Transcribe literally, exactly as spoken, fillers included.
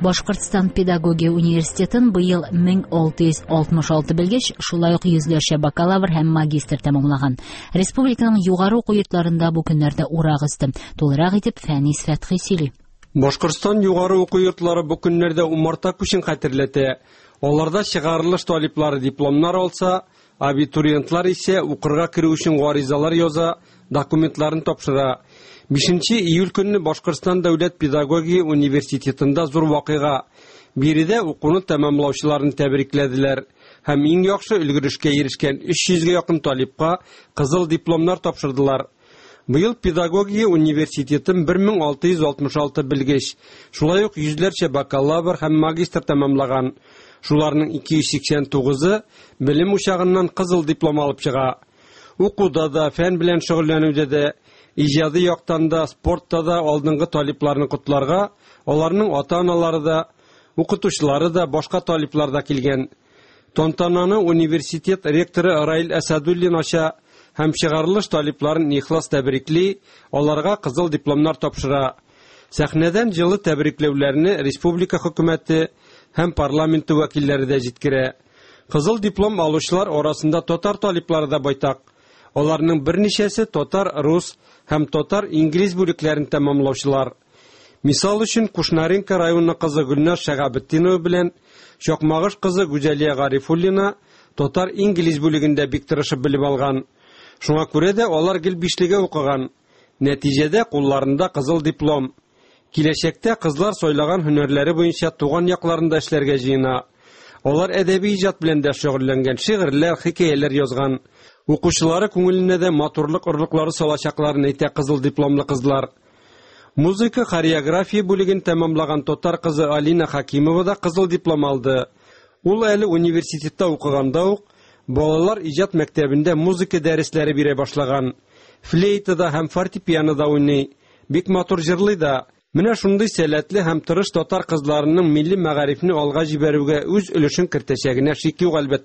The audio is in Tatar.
Башкортстан педагогия университетын быел мең алты йөз алтмыш алты белгеч, шулай ук йөзләрчә бакалавр һәм магистр тәмамлаган. Республиканың югары уку йортларында бу көннәрдә урак өсте. Тулырак итеп Фәнис Фәтхи сөйли. Башкортстан югары уку йортлары бу көннәрдә умарта күчен хәтерләтә. Аларда чыгарылыш талиплары дипломнар алса, абитуриентлар исә укырга керү өчен гаризалар яза, документларын тапшыра. Бишенче июль көнне Башкортстан дәүләт педагогия университетында зур вакыйга. Биредә укуны тәмамлаучыларны тәбрикләделәр һәм иң яхшы өлгерешкә ирешкән өч йөзгә якын талипка кызыл дипломнар тапшырдылар. Быел педагогия университетын бер мең алты йөз алтмыш алты белгеч, шулай ук йөзләрчә бакалавр һәм магистр тәмамлаган. Шуларның ике йөз сиксән тугызы белем учагыннан кызыл диплом алып чыга. Укуда да, фән белән шөгыльләнүдә дә, иҗади яктан да, спортта да алдынгы талипларны котларга, аларның ата-аналары да, укытучылары да, башка талиплар да килгән. Тантананы университет ректоры Раил Әсәдуллин ача һәм чыгарылыш талипларын ихлас тәбрикли, аларга кызыл дипломнар тапшыра. Сәхнәдән җылы тәбрикләүләрне республика хөкүмәте һәм парламенты вәкилләре дә җиткерә. Кызыл диплом алучылар арасында татар талиплары да байтак. Аларның берничәсе татар, рус һәм татар-инглиз бүлекләрен тәмамлаучылар. Мисал өчен Кушнаренко районы кызы Гөлназ Шәгабетдинова белән Чакмагыш кызы Гүзәлия Гарифуллина татар-инглиз бүлегендә бик тырышып белеп алган. Шуңа күрә дә алар гел бишлегә укыган. Нәтиҗәдә кулларында кызыл диплом. Киләчәктә кызлар сайлаган һөнәрләре буенча туган якларында эшләргә җыена. Алар әдәби иҗат белән дә шөгыльләнгән, шигырьләр, хикәяләр язган. Укучылары күңеленә дә матурлык орлыклары салачакларын әйтә кызыл дипломлы кызлар. Музыка хореография бүлеген тәмамлаган татар кызы Алина Хакимова да кызыл диплом алды. Ул әле университетта укыганда ук балалар иҗат мәктәбендә музыка дәресләре бирә башлаган. Флейтада һәм фортепианода уйный, бик матур җырлый да. Менә шундый сәләтле һәм тырыш татар кызларының милли мәгарифне алга җибәрүгә үз өлешен кертәчәгенә шик юк, әлбәттә.